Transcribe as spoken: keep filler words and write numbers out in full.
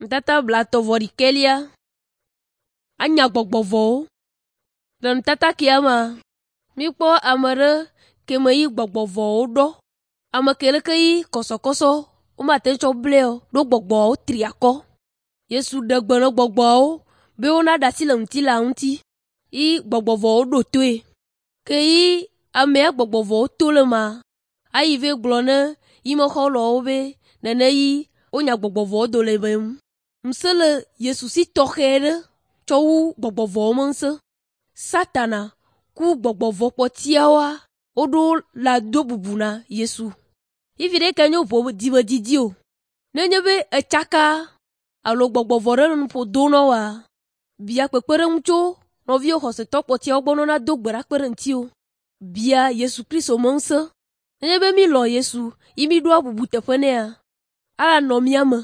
Nutata blaetɔ̃ vɔ ɖekɛlia. Anya gbɔgbɔ vɔ̃wo. Le nutata kia mea, míkpɔ ame ɖe ke me yi gbɔgbɔ vɔ̃wo ɖɔ. Ame ke leke yi kɔsɔkɔsɔ womate ŋu tsɔ blɛ o ɖo gbɔgbɔawo tri akɔ. Yesu ɖe gbe na gbɔgbɔawo be wonaɖe asi le ŋutilã ŋuti yi gbɔgbɔ vɔ̃wo ɖo toe. Ke yi amea gbɔgbɔ vɔ̃wo to le mea, ayi vɛ gblɔ ne yi me xɔlɔ̃wo be nene yi wonya gbɔgbɔ vɔ̃wo do le eme ŋu. Ŋusẽ le Yesu si tɔxɛ ɖe tsɔ wu gbɔgbɔ vɔ̃wo me ŋusẽ. Satana ku gbɔgbɔ vɔ̃ kpɔtiawoa woɖo la do bubu na Yesu. Fifi ɖe ke nye ʋɔ dzimedidi o. Nenye be etsaka alo gbɔgbɔ vɔ̃ ɖe le nuƒo do na woa, bia kpekpeɖeŋu tso nɔviwò xɔsetɔ kpɔtiawo gbɔ ne woado gbe ɖa kpe ɖe ŋutiwò. Bia Yesu Kristo me ŋusẽ. Nenye be mílɔ̃ Yesu yi míɖoa bubu teƒe nɛa, anɔ mía me.